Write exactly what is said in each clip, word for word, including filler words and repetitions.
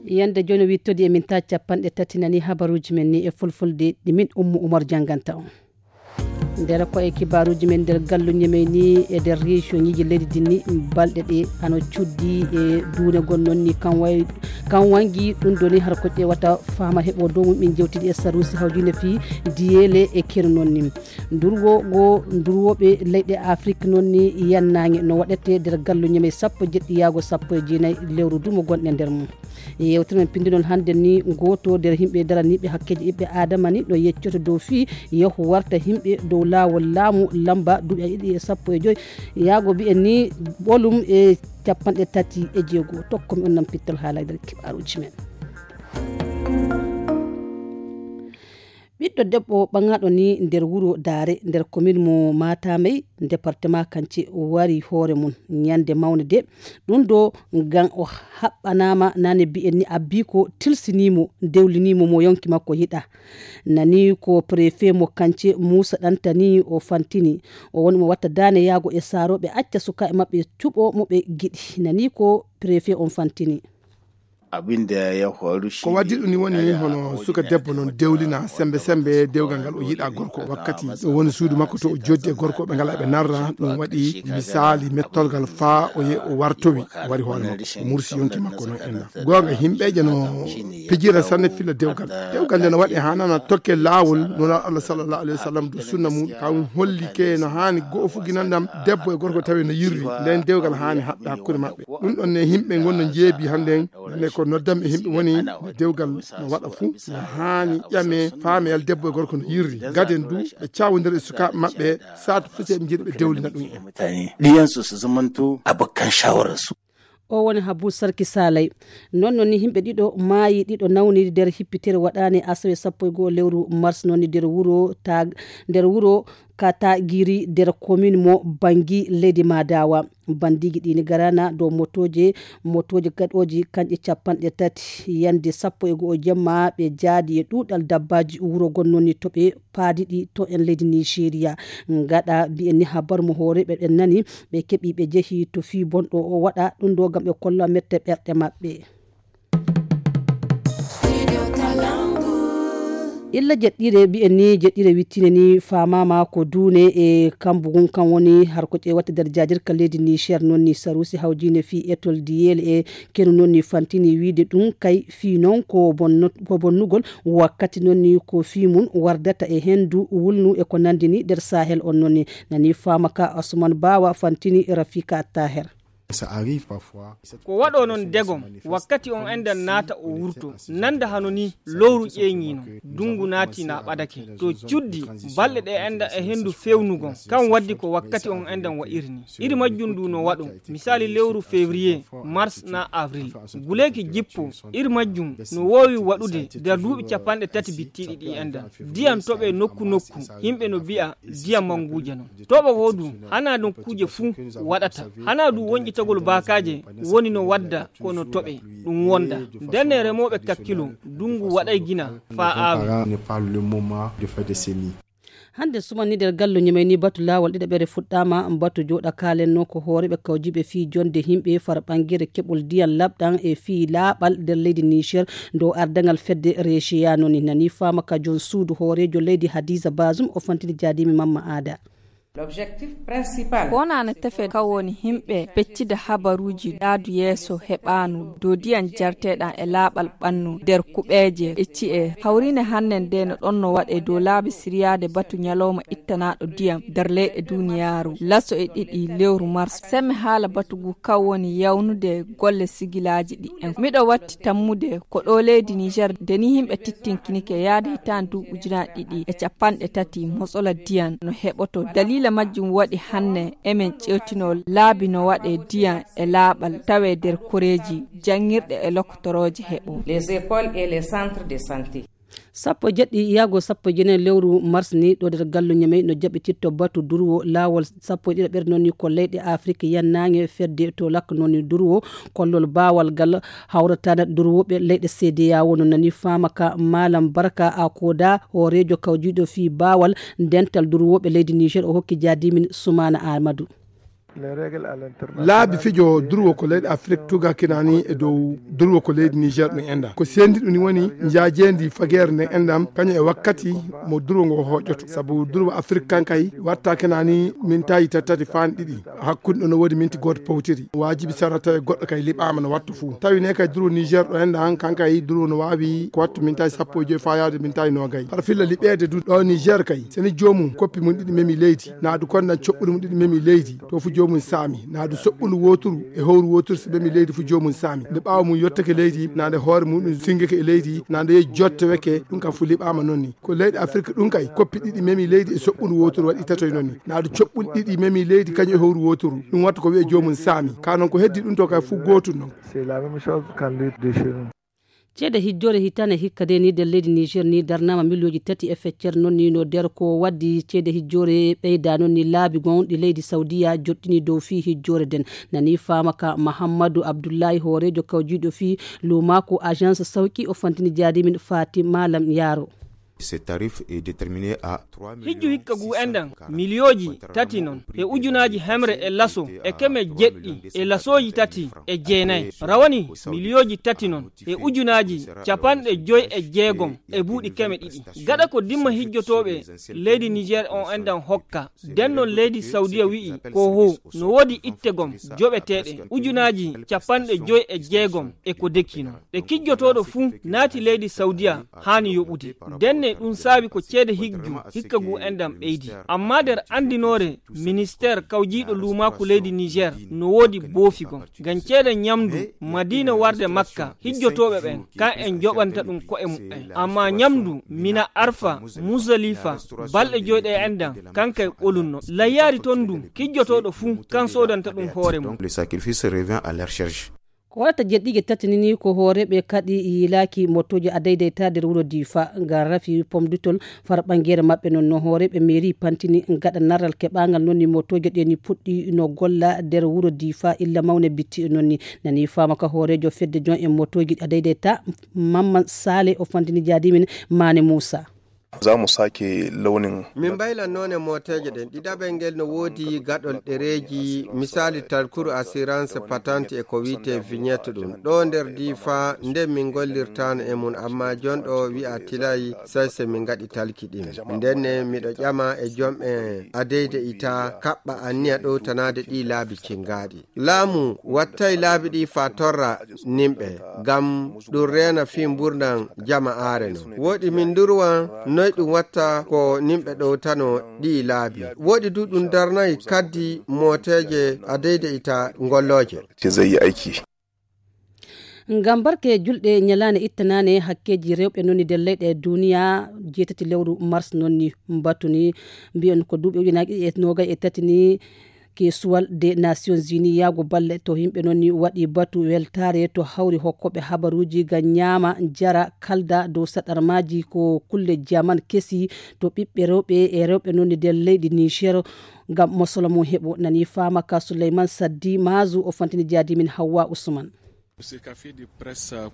Yande jooni wittodi e min ta capanɗe tati nani habaruuji men ni e fulfulde ɗi min Ummu Umar jannganta on. Nder ko e kibaaruuji men nder gallu ñemey ni e nder région ñiiji leydi din ni balɗe ɗe hano cuddi e duunegol noon ni kan way-, kan wangi ɗum ɗo ni har ko ƴeewata faama heɓo dow mum min jewtidi e saruusi hawjine fii diyeele e kenu noon ni. Ndurwo go ndurwoɓe leyɗe Afrik noon ni yannaange no waɗete nder gallu ñemey sappo e jeɗɗi yaago sappo e jeenayi lewru dumo gonɗe nder mum. Yewtere men pinndinol hannde ni, gooto nder yimɓe daraniiɓe hakkeeji ɓiɓɓe Aadama ni no yeccoto dow fii yahu warta yimɓe dow laawol laamu lamba duuɓi a ɗiɗi e sappo e joy, yaago mbiyen ni ɓolum e capanɗe tati e jeego. Tokko mi on nan pittol haala nder kibaaruuji men. Ɓiɗɗo debbo ɓaŋaaɗo ni nder wuro Daare, nder komin mo Matamey, département Kance, wari hoore mum ñande mawnde de. Ɗum ɗo ngam o haɓɓanaama nane mbiyen ni abbi ko tilsinii mo, dewlinii mo, mo yonki makko yiɗa. Nani ko préfet mo Kance Muusa Ɗantani o fantini. O woni mo watta daane yaago e saarooɓe acca sukaaɓe maɓɓe cuɓo mo ɓe giɗi. Nani ko préfet on fantini. Abin da ya faru shi Ko waddi ɗum ni woni hono suka debbo noon dewlina sembe sembe dewgal ngal o yiɗa gorko. Wakkati ɗo woni suudu makko to o joddi e gorko ɓe ngal ɓe narra ɗum waɗi misali mettorgal faa o ye o wartowi o wari hoore makko o mursi yonki makko noon enna. Goonga himɓeje no pijira sanne filla dewgal. Dewgal nde no waɗi hanana tokke laawol nuna Allah sallallahu alaihi wasallam do sunna mum kam hollike no hani go fuginandam debbo e gorko tawi no yirri nden dewgal hani haɓɓe hakkunde maɓɓe. Ɗum ɗon ne himɓe ngonno jeebi hannden. Nde ko noddam e yimɓe woni no dewgal no waɗa fuu no haani ƴame faameyal debbo e gorko no yirri. Gaden du ɓe cawodira e sukaaɓe maɓɓe saatu fuu se ɓe njiɗi ɓe dewlina ɗum en. Ɗiyansu su zamanto abokan shawararsu. O woni Habu Sarki Salay. Noon noon ni yimɓe ɗiɗo maayi, ɗiɗo nawni nder hippitere waɗaani asawe sappo e goo lewru mars noon ni nder wuro Tag-, nder wuro Katagiri nder komin mo Bangi leydi Madawa. Bandiiji ɗi ni garana dow motooje, motooje gaɗooji kanƴe capanɗe tati. Yande sappo e go'o jemma ɓe jaadi e ɗuuɗal dabbaaji wuro gon noon ni to ɓe paadi ɗi to en leydi Nigeria. Ngaɗa mbi'en ni habar mo hooreeɓe ɓen nani, ɓe keɓi ɓe jehi to fii bonɗo o waɗa ɗum ɗo ngam ɓe kolla mette ɓerɗe maɓɓe. Illa jeɗɗire mbi'en ni jeɗɗire wittine ni faamaama ko duune e kambu ngun kan woni har ko ƴeewata nder jaajirka leydi Niger noon ni saruusi hawjiine fii etol diyel e kenu noon ni fantini wiide ɗum kay fii noon ko bonno-, ko bonnugol wakkati noon ni ko fii mum wardata e hendu wulnu e ko nandi ni nder Sahel on noon ni nani faama ka Asuman Bawa fantini Rafika Taher. Ça arrive parfois. Ko waɗo noon degom, wakkati on enɗan naata o wurto, nanda hano ni lowru ƴeeŋi noon, dungu naati na ɓadake. To cuddi, balɗe ɗe enɗan e henndu fewnugol, kan waddi ko wakkati on enɗan wa'iri ni. Iri majjum ndu no waɗo, misali lewru février, mars na avril. Guleeki jippo, iri majjum no woowi waɗude nder duuɓi capanɗe tati bittiiɗi ɗi enɗan. Ndiyam toɓe nokku nokku, yimɓe no mbi'a ndiyam mannguuje noon. Toɓo goo du, hanaa nokkuuje fuu waɗata. Hanaa du wonƴitagol baakaaje woni no wadda ko no toɓe, ɗum wonda. Ndenne remooɓe kakkilo, dungu waɗay gina faa aawe. N'est pas le moment de faire des semis. Hannde suman ni nder gallu ñemey ni batu laawol ɗiɗaɓere fuɗɗaama, batu jooɗa kaalen noon ko hooreeɓe kawjiiɓe fii jonde yimɓe far ɓangere keɓol ndiyam laɓɗam e fii laaɓal nder leydi Niger dow ardangal fedde Rechiya noon ni nani faama ka jon suudu hooreejo leydi Hadiza Bazum o fantini jaadiimi Mamma Aada. Ko wonaa no tefe ka woni yimɓe peccida habaruuji ɗaadu yeeso heɓaanu dow ndiyam jarteeɗam e laaɓal ɓannu nder kuɓeeje e ci'e. Hawriine hannden de no ɗon no waɗee dow laabi siryaade batu ñalawma ittanaaɗo ndiyam nder leyɗe duuniyaaru. Laso e ɗiɗi lewru mars. Semme haala batu ngu ka woni yawnude golle sigilaaji ɗi en. Miɗo watti tammude ko ɗo leydi Niger, nde ni yimɓe tittinkinike yaade hitaande duuɓi ujunaaji ɗiɗi e capanɗe tati, motsola diyan no heɓoto. Daliila majjum waɗi hanne emen ƴeewtino laabi no waɗe diyan e laaɓal tawe nder koreeji, janngirɗe e lokotorooje heɓo. Les écoles et les centres de santé. Sappo e jeɗɗi yaago sappo e jeenayi lewru mars ni, ɗo nder gallu Ñamey no jaɓɓititto batu durwo laawol sappo e ɗiɗaɓere noon ni ko leyɗe Afrik yannaange fedde to lakka noon ni durwo kollol baawal ngal hawrataana durwooɓe leyɗe C D A O no nani faama ka Malam Barka Akoda, hooreejo kawjiiɗo fii baawal dental durwooɓe leydi Niger, o hokki jaadimin Sumaana Amadou. Laabi fijo durwo ko leyɗe Afrik tuga kinani e dow durwo ko leydi Niger ɗum enda. Ko sendi ɗum woni njaajendi fageere nden endam, kañum e wakkati mo durwo ngo hoƴoto. Sabu durwo Afrik kan kay watta kinani mintaji tati tati faan ɗiɗi. Hakkunde ɗo no woodi minti gooto powtiri. Waajibi sara tawi goɗɗo kay liɓaama no wattu fuu. Tawi ne kay durwo Niger ɗo enda han kan kay durwo no waawi ko wattu mintaji sappo e joyi faa yaade mintaji noogay. Har filla liɓeede du ɗo Niger kay. Seni joomum koppi mum ɗiɗi memi leydi. Naadu kon nan coɓɓuli mum ɗiɗi memi leydi. To fu joomum saami. Naadu soɓɓundu wooturu e howru wooturu si memi leydi fu joomum saami. Nde ɓaawo mum yottake leydi, na nde hoore mum ɗum singake e leydi, na nde yehi jottoweke, ɗum kam fu liɓaama noon ni. Ko leyɗe Afirka ɗum kay, koppi ɗiɗi memi leydi e soɓɓundu wooturu waɗi tatoy noon ni. Naadu coɓɓuli ɗiɗi memi leydi kañum e howru wooturu. Ɗum watta ko wi'e joomum saami. Ka noon ko heddi ɗum to kay fu gootum noon. C'est la même chose quand les déchets. Ceede hijjoore hitaande hikka de ni nder leydi Niger ni darnaama miliyooji tati e feccere noon ni no nder ko waddi ceede hijjoore ɓeyda noon ni laabi gonɗi leydi Saudiya joɗɗini dow fii hijjoore nden. Nani faama ka Mahammadu Abdullahi hooreejo kawjiiɗo fii luumaaku agence Sawki o fantini jaadimin Fatima Lam Yaro. Ce tarif est déterminé à trois millions. Hijju hikka gu enɗan miliyooji tati non e ujunaaji hemre e laso e keme jeɗɗi e lasooji tati e jeenayi rawani miliyooji tati non e ujunaaji capanɗe joyi e jeegom e buuɗi keme ɗiɗi. Gaɗa ko dimma hijjotooɓe leydi Niger on enɗan hokka. Nden non leydi Saudiya wi'i ko ho no woodi itte gom joɓeteeɗe ujunaaji capanɗe joyi e jeegom e ko deki non. Ɗe kijjotooɗo fuu naati leydi Saudiya haani yoɓude. Ndenne ɗum saabi ko ceede hijju hikka ngu enɗam ɓeydi. Amma nder anndinoore ministeer kawjiiɗo luumaaku leydi Niger no woodi boofi gom. Ngam ceede ñamdu Madiina warde Makka, hijjotooɓe ɓen, kan en joɓanta ɗum ko'e muɓɓen. Amma ñamdu Mina Arfa, Musdalifa, balɗe joy ɗe enɗam, kan kay ɓolunno. Layyaari ton ndu, kijjotooɗo fuu, kan soodanta ɗum hoore mum. Le sacrifice revient à leur charge. Ko waɗata jeɗɗiige tati ni, ni ko hooreeɓe kadi yiilaaki motooji a daydayta nder wuro Difa, ngam rafi pomdutol far ɓangeere maɓɓe non no hooreeɓe mairie pantini gaɗa narral keɓaangal non ni motooji ɗe ni puɗɗi no golla nder wuro Difa illa mawne bitti non ni. Nani faama ka hooreejo fedde jon e motooji a daydayta Mamman Sale o fantini jaadimin Mane Musa. Za mu sake launin. Min mbaylan noone mooteeje ɗen. Ɗiɗaɓel ngel no woodi gaɗol ɗereeji, misali talkuru assurance patente e ko wi'etee vignette ɗum. Ɗo nder Difa, nden min ngollirtaano e mum, amma jon ɗo wi'a tilay, say se min ngaɗi talki ɗin. Nden ne miɗo ƴama e jom'en a deydeyta kaɓɓa anniya ɗowtanaade ɗii laabi cingaaɗi. Laamu wattay laabi ɗi faa torra nimɓe, ngam ɗum reena fii mburndan jama'aare non. Wooɗi min ndurwan noy ɗum watta ko nimɓe ɗowtano ɗii laabi. Wooɗi du ɗum darnay kaddi mooteeje a deydeyta ngollooje. Te zai yi aiki. Ngam barke julɗe ñalaande ittanaane hakkeeji rewɓe non ni nder leyɗe duniya, jeetati lewru mars non ni mbatu ni mbiyon ko duuɓi ujunaaji ɗiɗi e noogay e tati ni. Keesuwal de Nations Unies yaago balle to yimɓe non ni waɗi batu weltaare to hawri hokkooɓe habaruuji ngam ñaama, jara, kalda dow saɗarmaaji ko kulle jaman kesi to ɓiɓɓe rewɓe e rewɓe non ni nder leydi Niger ngam mosolo mum heɓo. Nani faama ka Souleymane Saddi Mazu o fantini jaadimin Hawwa Usman.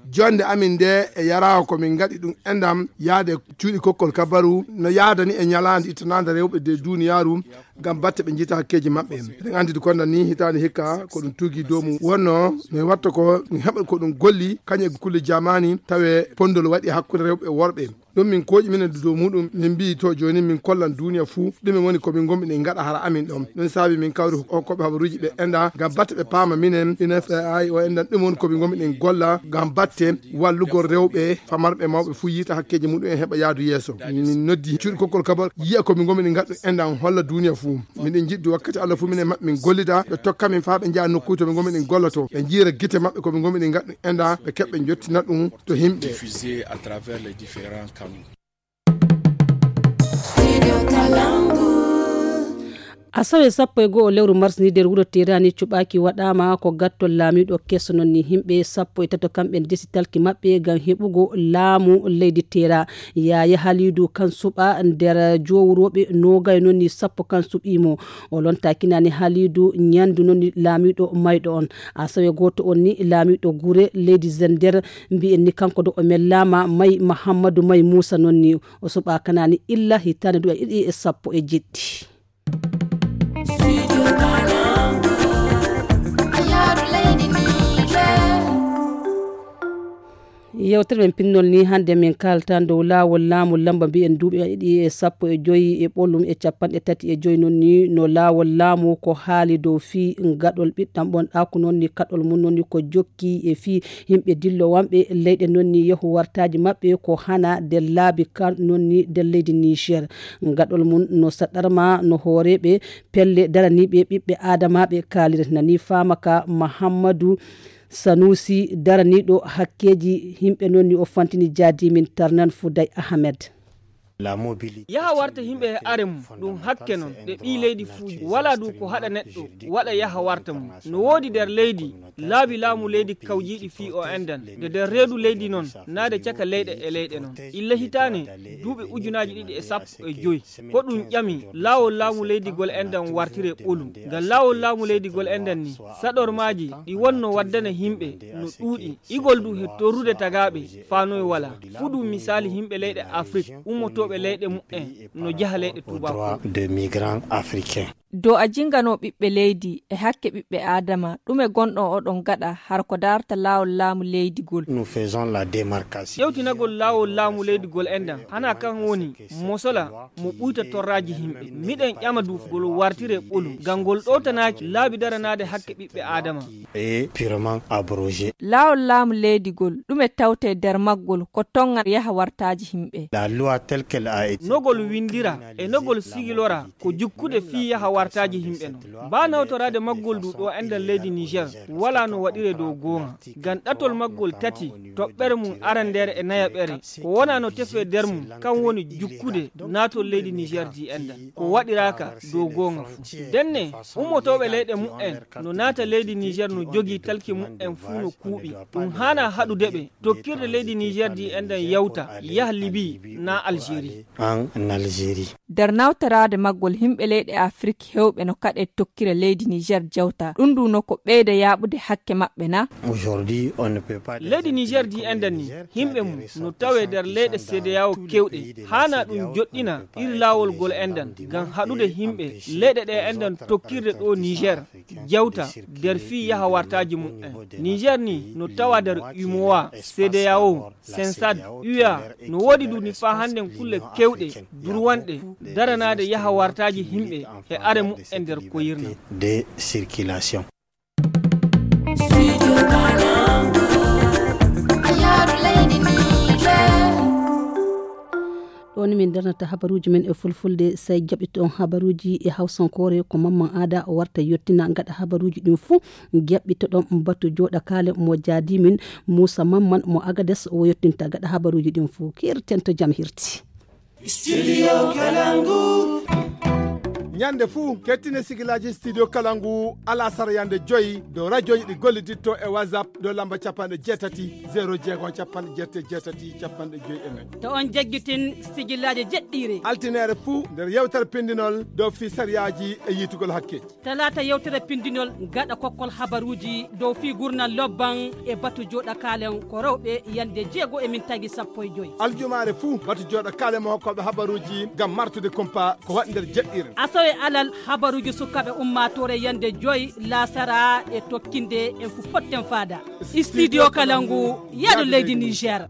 Jonde amin nde e yarawa ko min ngaɗi ɗum endam yaade cuuɗi kokkol kabaru no yaadani e ñalaande ittanaande rewɓe de duniyaaru ngam batte ɓe njiita hakkeeji maɓɓe. Eɗen anndi konda ni hitaande hikka ko ɗum tugi dow mum wonno no watta ko ɗum heɓa ko ɗum golli kañum e kulle jamani tawe pondol waɗi hakkunde rewɓe e worɓe. Ɗum min kooƴi minen dow muɗum, min mbiyi to jooni min kollan duniya fuu ɗumen woni ko min ngonmi ɗen ngaɗa hara amin ɗon. Ɗum saabi min kawri hokkooɓe habaruuji ɓe enda ngam batte ɓe paama minen ina ay o endan ɗum woni ko min ngonmi ɗen golla ngam batte wallugol rewɓe famarɓe mawɓe fuu yiita hakkeeji muɗum en heɓa yaadu yeeso. Min noddi cuuɗi kokkol kabal yiya ko min ngonmi ɗen ngaɗa ɗum endan holla duniya fuu. Miɗen njiɗi wakkati Allah fuu minen maɓɓe min gollida ɓe tokka min faa ɓe njaha nokkuuji to ɓe ngonmi ɗen golloto ɓe njiira gite maɓɓe ko ɓe ngonmi ɗen ngaɗa ɗum endan ɓe keɓɓe njottina ɗum to himɓe. Diffusé à travers les différents canaux. Asawe sappo e go'o lewru mars ni nder wuro Terani cuɓaaki waɗaama ko gattol laamiiɗo keso non ni himɓe sappo e tato kamɓe ndesi talki maɓɓe ngam heɓugo laamu leydi Tera. Yaya Halidu kan suɓa nder jowurooɓe noogay non ni sappo kan suɓiimo. O lontakinani Halidu ñandu non ni laamiiɗo mayɗo on. Asawe gooto on ni laamiiɗo gure leydi Zender mbi'en ni kanko do o mellaama may Mahammadu may Muusa non ni o suɓakanani illa hitaande duɗa ɗiɗi e sappo e jeɗɗi. Yewtere men pinnol ni hannde min kaalta dow laawol laamu lamba mbiyen duuɓi ɗiɗi e sappo e joyi e ɓolum e capanɗe tati e joyi noon ni no laawol laamu ko haali dow fii gaɗol ɓiɗɗam ɓon ɗaku noon ni kaɗol mum noon ni ko jokki e fii yimɓe dillowanɓe leyɗe noon ni yehu wartaaji maɓɓe ko hana nder laabi kan noon ni nder leydi Niger. Gaɗol mum no saɗɗarma no hooreeɓe pelle daraniiɓe ɓiɓɓe aadamaaɓe kaaliri nani faama ka Mahammadu Sanusi daraniiɗo hakkeeji yimɓe noon ni o fantini jaadimin Tarnan Fuday Ahmed. Yaha warta yimɓe e are mum ɗum hakke noon ɗe ɓii leydi fuuji walaa du ko haɗa neɗɗo waɗa yaha warta mum. No woodi nder leydi laabi laamu leydi kawjiiɗi fii o endan nde nder reedu leydi noon naade caka leyɗe e leyɗe noon illa hitaane duuɓi ujunaaji ɗiɗi e sappo e joyi. Ko ɗum ƴami laawol laamu leydigol endan wartire ɓolu ngam laawol laamu leydigol endan ni saɗormaaji ɗi wonno waddana yimɓe no ɗuuɗi igol du he torrude tagaaɓe faanoy wala. Fuɗu misaali yimɓe leyɗe afrik ummotooɓe leyɗe mumen no jaha leyɗe tuubaaku. Do a jinganoo ɓiɓɓe leydi e hakke ɓiɓɓe aadama ɗume gonɗo oɗon gaɗa har ko darta laawol laamu leydigol? Ƴewtinagol laawol laamu leydigol enɗan hana kan woni mosola mo ɓuyta torraaji yimɓe. Miɗen ƴama du ngol wartire ɓolum ngam ngol ɗowtanaaki laabi daranaade hakke ɓiɓɓe aadama. Laawol laamu leydigol ɗume tawte nder maggol ko tonga yaha wartaaji yimɓe? No ngol winndira e no ngol sigilora ko jukkude fii yaha wartaaji yimɓe non. Mbaa nawtoraade maggol du ɗo enɗan leydi Niger walaa no waɗire dow goonga. Ngam ɗatol maggol tati toɓɓere mum arandeere e nayaɓere ko wonaa no tefee nder mum kan woni jukkude naatol leydi Niger di enɗan ko waɗiraaka dow goonga fuu. Ndenne ummotooɓe leyɗe mumen no naata leydi Niger no jogii talki mumen fuu no kuuɓi. Ɗum haanaa haɗude ɓe tokkirde leydi Niger di enɗan yawta yaha Libi naa Algérie. Nder nawtoraade maggol yimɓe leyɗe Afrik heewɓe no kaɗee tokkira leydi Niger jawta ɗum du no ko ɓeyda yaaɓude hakke maɓɓe na? Leydi Niger di enɗan ni yimɓe mum no tawee nder leyɗe CEDEAO keewɗe haanaa ɗum joɗɗina iri laawol ngol enɗan ngam haɗude yimɓe leyɗe ɗe enɗan tokkirde ɗo Niger jawta nder fii yaha wartaaji mumen. Niger ni no tawa nder umowa CEDEAO sensad uea no woodi du ni faa hannden kulle keewɗe durwanɗe daranaade yaha wartaaji yimɓe e are mumen nder koyirna. Ɗo ni min darnata habaruuji men e fulfulde, sey jaɓɓitoɗon habaruuji e hawsankoore ko Mamman Aada o warta yottina. Gaɗa habaruuji ɗin fuu jaɓɓitoɗon batu jooɗakaale mo jaadimin Muusa Mamman mo Agades o yottinta. Gaɗa habaruuji ɗin fuu kirten to jam hirti. Ñande fuu kettine sigilaaji Studio Kalangu alasara yande joyi dow rajoji ɗi golliditto e WhatsApp dow lamba capanɗe jeetati zero jeego capanɗe jeetati jeetati capanɗe joyi e nayi. To on jaggitin sigillaaji jeɗɗiire. Altineere fuu nder yewtere pindinol dow fii sariyaaji e yiitugol hakkeeji. Talaata yewtere pindinol gaɗa kokkol habaruuji dow fii gurnal lobban e batu jooɗakaalen ko rewɓe yande jeego e min tagi sappo e joyi. Aljumaare fuu batu jooɗakaale mo hokkooɓe habaruuji ngam martude kumpa ko waɗi nder jeɗɗiire. Asawe alal habaruuji sukaaɓe ummaatoore yande joyi laasara e tokkinde en fu potten faada. Studio Kalangu yaadu leydi Niger.